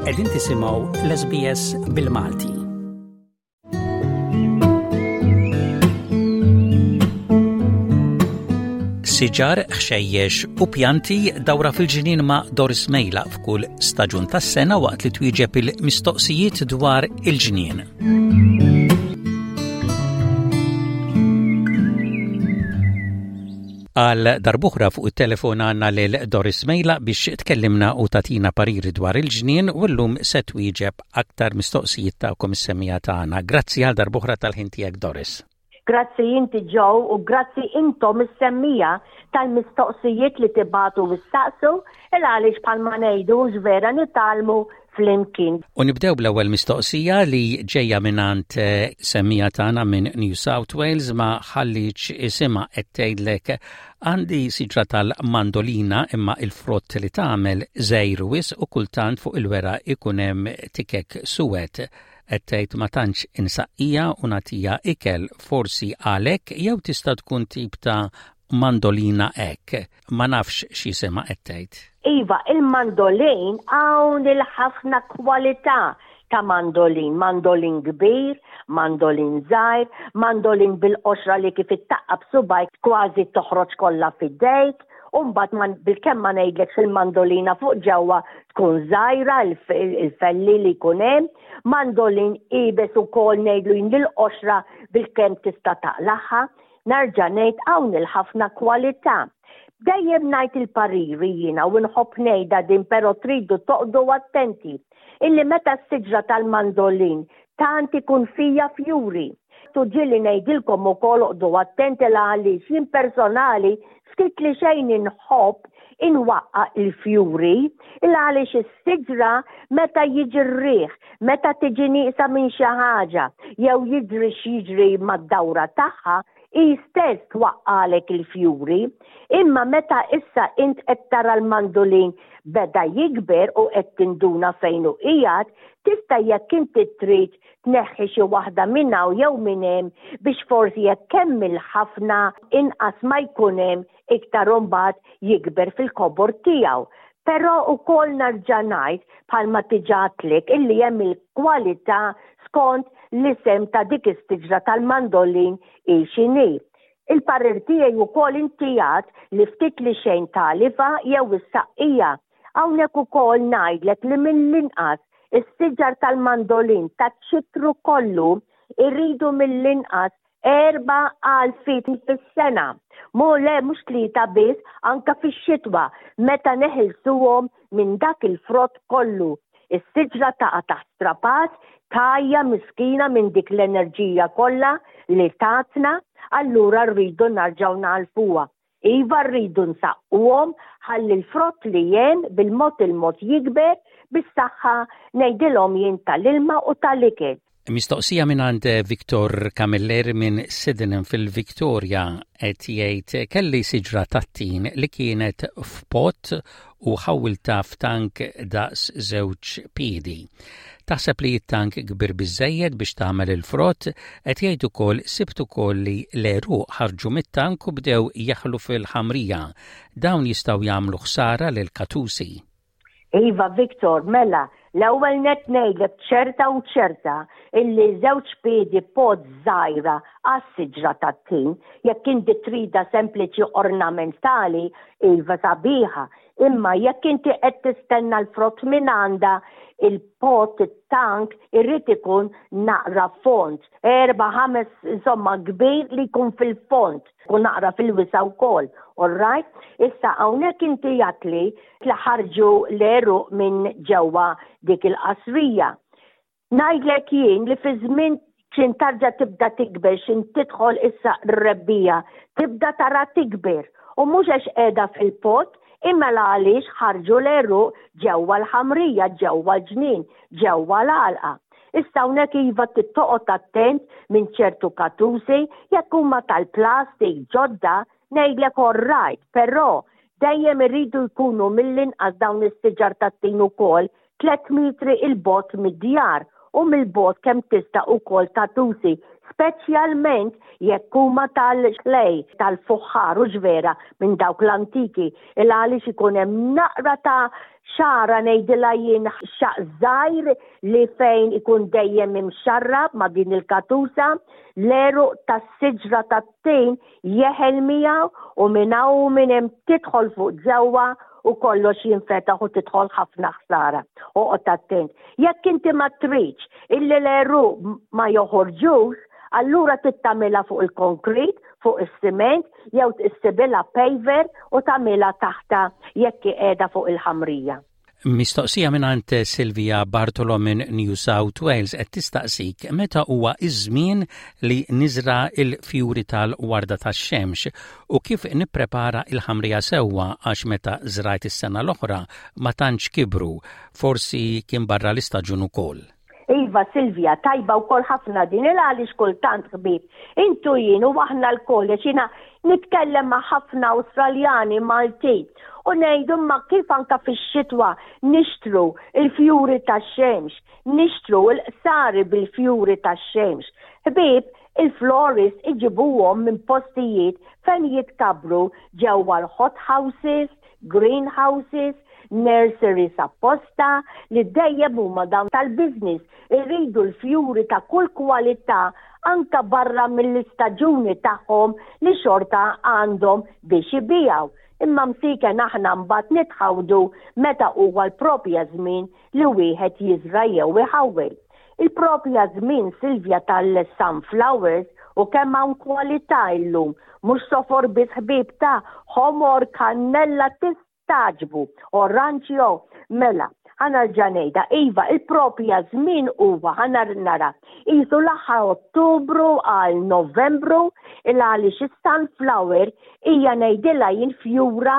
Qegħdin tisimgħu l-SBS bil-Malti. Siġar, ħxejjex u pjanti dawra fil-ġnien ma' Doris Mejla f'kull staġun tas-sena waqt li twieġeb il-mistoqsijiet dwar il-ġnien. Għal darbuħra fuq it-telefon għandna lil Doris Mejla biex tkellimna u tatina pariri dwar il-ġnien u llum se twieġeb aktar mistoqsijiet tagħkom is-semija tagħna. Grazzi għal darbuħra tal-ħin tiegħek Doris. Grazzi inti Joe u grazzi intom is-semmija tal-mistoqsijiet li tibatu u ssaqsu il għaliex bħalma ngħidu vera nitgħallmu flimkien. U nibdew bl-ewwel mistoqsija li ġejja mingħand eh, semmija tagħna minn New South Wales ma ħalliċ isimha qed tgħidlek għandi siġra tal-mandolina imma il-frott li tagħmel żgħir wisq u kultant fuq il-wera ikun hemm tikek suwed. Qed tgħid ma tantx insaqqija u nagħtiha ikel, forsi għalhekk jew tista' tkun tip ta' mandolina hekk. Ma nafx x'jisimha qed tgħid. Iva, il-mandolin hawn il-ħafna kwalità ta' mandolin, mandolin kbir, mandolin żgħir, mandolin bil-qoxra li kif ittaqqab subajk kważi toħroġ kollha f'idejk, u mbagħad bilkemm ma ngħidlekx il-mandolina fuq ġewwa tkun żgħira il-felli li jkun hemm, mandolin iebes ukoll ngħidlu jien l-qoxra bilkemm tista' taqlagħha. Nerġa' ngħid hawn il-ħafna kwalità. Dejjem ngħid il-pariri jiena u nħobb ngħidha din però tridu toqgħdu attenti illi meta s-siġra tal-mandolin tant ikun fija fjuri. U ġieli ngħidilkom ukoll oqgħdu attenti la għaliex jien personali ftit li xejn inħobb inwaqqa' il-fjuri il għaliex is-siġra meta jiġi r-riħ, meta tiġi nieqsa minn xi ħaġa jew jiġri x'jiġri mad-dawra tagħha, hi stess twaqqagħlek il-fjuri. Imma meta issa int qed tara l-mandulin beda jikber u qed tinduna fejn hu qiegħed, tista' jekk inti trid tneħħi xi waħda minn hawn jew minn hemm biex forsi jekk hemm il-ħafna inqas ma jkun hemm iktar imbagħad jikber fil-kobor tiegħu. Però wkoll nerġa' ngħid bħalma diġà għedtlek illi hemm il-kwalità skont l-isem ta' dik is-siġra tal-mandolin hi x'inhi. Il-parir tiegħi wkoll inti għedt li ftit li xejn tagħlifha jew issaqqija. Hawnhekk ukoll ngħidlek li mill-inqas is-siġar tal-mandolin taċ-ċitru kollu jridu mill-inqas 4,000 fis-sena. Mu le mhux tlieta biss anke fix-xitwa meta neħilsuhom minn dak il-frott kollu. Is-siġra taqa' taħt strapazz, tgħajja miskina minn dik l-enerġija kollha li tatna, allura rridu narġgħu nagħlfuha. Iva rridu nsaqquhom ħalli l-frott li hemm bil-mod il-mod jikber bis-saħħa ngħidilhom jien tal-ilma u tal-ikel. Mistoqsija mingħand Victor Camilleri minn Sydenham fil-Victoria qed jgħid kelli siġra tat-tin li kienet f'pot u ħawwiltha f'tank daqs żewġ piedi. Taħseb li t-tank kbir biżżejjed biex tagħmel il-frott? Qed jgħid ukoll sibt ukoll li l-għeruq ħarġu mit-tank u bdew jeħlu fil-ħamrija. Dawn jistgħu jagħmlu ħsara lill-katusi. Iva Victor, mela, l-ewwel nett ngħidlek ċerta u ċerta illi żewġ piedi pot żgħira għas-siġra tat-tin, jekk inti tridha sempliċi ornamentali, iva sabiħa, imma jekk inti qed tistenna l-frott minn għandha, il-pot, it-tank, irid ikun naqra fond, erba' ħames, insomma kbir li jkun fil-fond, u naqra fil-wisa' wkoll, all right? Issa hawnhekk inti għedtli li ħarġu l-għeruq minn ġewwa dik il-qasrija. Ngħidlek jien li fi żmien x'in tarġa' tibda tikber, x'in tidħol issa r-rebbiegħa, tibda tara tikber u mhux għax qiegħda fil-pot imma l għaliex ħarġu l-għeruq ġewwa l-ħamrija, ġewwa l-ġnien, ġewwa l-għalqa. Issa hawnhekk iva trid toqgħod attent minn ċertu katusi jekk huma tal-plastik ġodda Ngħidlek all right, però dejjem iridu jkunu mill-inqas dawn is-siġar tat-tin ukoll tlett mitri 'il bogħod mid-djar u mill-bogħod kemm tista' ukoll tatusi, speċjalment jekk huma tal-clay, tal-fuħħar hux vera minn dawk l-antiki, il għaliex ikun hemm naqra ta' Xagħra ngħidilha jien xaqq żgħir li fejn ikun dejjem imxarrab ma' din il-katusa, l-għeruq tas-siġra tat-tin jeħel miegħu u minn hawn u minn hemm tidħol fuq ġewwa u kollox jinfetaħ u tidħol ħafna ħsara. Oqgħod attent. Jekk inti ma tridx illi l-għeruq ma joħorġux, allura trid tagħmilha fuq il-konkrit, fuq is-siment jew issibilha paver u tagħmilha taħtha jekk hi qiegħda fuq il-ħamrija. Mistoqsija mingħand Silvia Bartolo minn New South Wales qed tistaqsik meta huwa iż-żmien li niżra l-fjuri tal-warda tax-xemx u kif nipprepara l-ħamrija sewwa għax meta żrajt is-sena l-oħra ma tantx kibru, forsi kien barra l-istaġun ukoll. Iva Silvia, tajba wkoll ħafna din il għaliex kultant ħbieb. Intu jien u aħna lkoll għax jiena nitkellem ma' ħafna Awstraljani Maltin u ngħidu imma kif anka fix-xitwa nixtru il-fjuri tax-xemx, nixtru l-qsari bil-fjuri tax-xemx. Ħbieb, il-florist iġibuhom minn postijiet fejn jitkabbru ġewwa l-hot houses, greenhouses, nurseries apposta li dejjem huma dawn tal-business iridu l-fjuri ta' kull kwalità anka barra mill-istaġuni tagħhom li xorta għandhom biex ibigħu. Imma msiken aħna mbagħad nitħawdu meta huwa l-proprja żmien li wieħed jiżra' jew iħawwel. Il-proprja żmien Silvia tal-sunflowers u kemm hawn kwalità illum, mhux sofor biss ħbieb ta' ħomor, kannella tistagħġbu, oranġjo, mela, ħa nerġa' ngħidha, iva, il-proprja żmien huwa ħa nara, qisu l-aħħar Ottubru għal Novembru, il għaliex is-sunflower hija ngħidilha jien fjura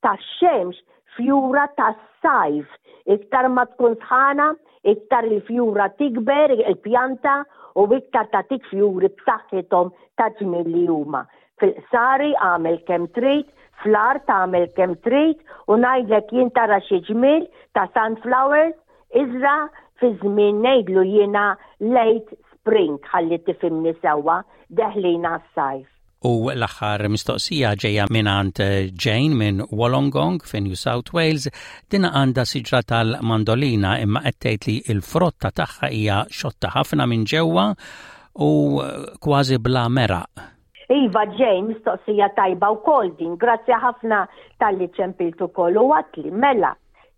tax-xemx, fjura tas-sajf. Iktar ma tkun sħana, iktar il-fjura tikber, il-pjanta, u iktar tagħtik fjuri b'saħħithom ta' ġmiel li huma. Fil-qsari agħmel kemm trid, fl-art agħmel kemm trid, u ngħidlek jien tara xi ġmiel ta' sunflowers, iżra' fi żmien ngħidlu jiena late spring ħalli tifhimni sewwa, deħlin għas-sajf. U l-aħħar mistoqsija ġejja mingħand Jane minn Wollongong fi New South Wales. Din għandha siġra tal-mandolina imma qed tgħid li l-frotta tagħha hija xotta ħafna minn ġewwa u kważi bla meraq. Iva Jane, mistoqsija tajba wkoll din. Grazzi ħafna talli ċempilt ukoll u għatli mela.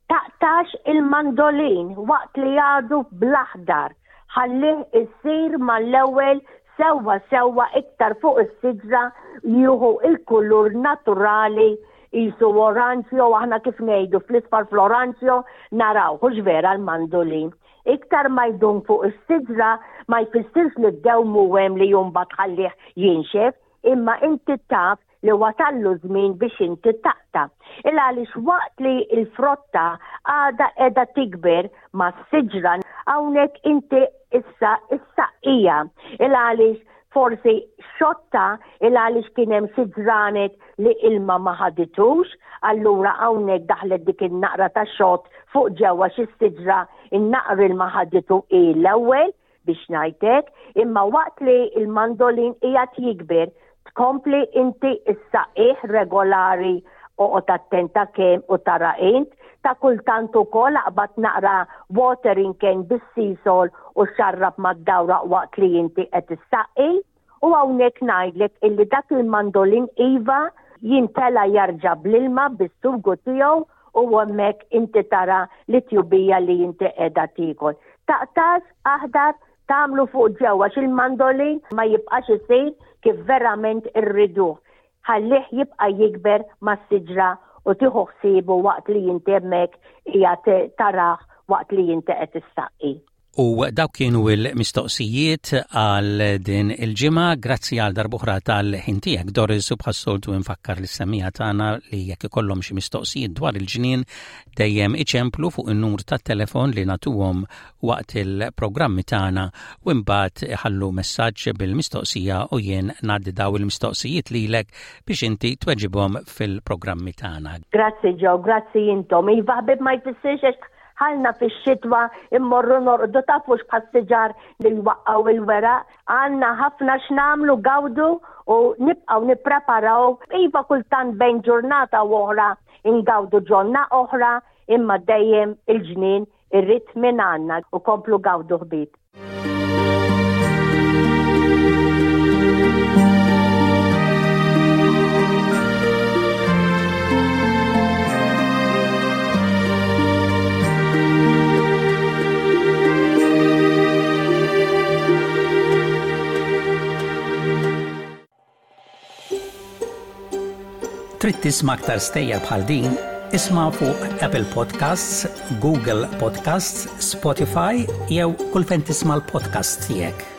Taqtax il-mandolin waqt li għadu bl-aħdar. Ħallih isir mal-ewwel sewwa sewwa iktar fuq is-siġra jieħu il-kulur naturali qisu oranġjo aħna kif ngħidu fl-isfar fl-oranġjo naraw hux vera l-mandolin. Iktar ma jdum fuq is-siġra ma jfissirx li ddewmu hemm li mbagħad tħallih jinxef, imma inti taf li wasallu żmien biex inti taqta'. Il għaliex waqt li l-frotta għadha qiegħda tikber mas-siġra hawnhekk inti issa issaqqija. Il għaliex forsi xotta il għaliex kien hemm xi ġranet li ilma ma ħaditux, allura hawnhekk daħlet dik in-naqra ta' xott fuq ġewwa xi siġra in-naqra ilma ħaditu hi l-ewwel biex ngħid hekk, imma waqt li l-mandolin qiegħed jikber, tkompli inti issaqih regolari oqgħod attenta kemm u tara int, ta' kultant ukoll aqbad naqra watering can bis-sisol u xarrab mad-dawra waqt li inti qed issaqqi. U hawnhekk ngħidlek illi dak il-mandolin iva jintela jarġa' bl-ilma bis-sugu tiegħu u hemmhekk inti tara li tjubija li inti qiegħda tiekol. Taqtax aħdar tagħmlu fuq ġewwa għax il-mandolin ma jibqax isir kif verament irriduh. Ħallih jibqa' jikber mas-siġra u tieħu ħsiebu waqt li inti hemmhekk qiegħed tarah waqt li inti qed issaqqi. U dawk kienu l-mistoqsijiet għal din il-ġimgħa. Grazzi għal darb'oħra tal-ħin tiegħek Doris u bħas-soltu nfakkar lis-semmiegħa tagħna li jekk ikollhom xi mistoqsijiet dwar il-ġnien dejjem iċemplu fuq in-numru tat-telefon li nagħtuhom waqt il-programmi tagħna u imbagħad iħallu messaġġ bil-mistoqsija u jien ngħaddi daw il-mistoqsijiet lilek biex inti tweġibhom fil-programmi tagħna. Grazzi Joe, grazzi intom. Iva ħbib ma jfissirx Ħalna fix-xitwa immorru norqdu tafux bħas-siġar li jwaqqgħu il-weraq. Għandna ħafna x'nagħmlu gawdu u nibqgħu nippreparaw. Iva kultant bejn ġurnata u oħra ingawdu ġonna oħra, Imma dejjem il-ġnien irrid minn għandna u komplu gawdu ħbieb. Trid tisma' aktar stejjer bħal din? Isma' fuq Apple Podcasts, Google Podcasts, Spotify jew kull fejn tisma' l-podcasts tiegħek.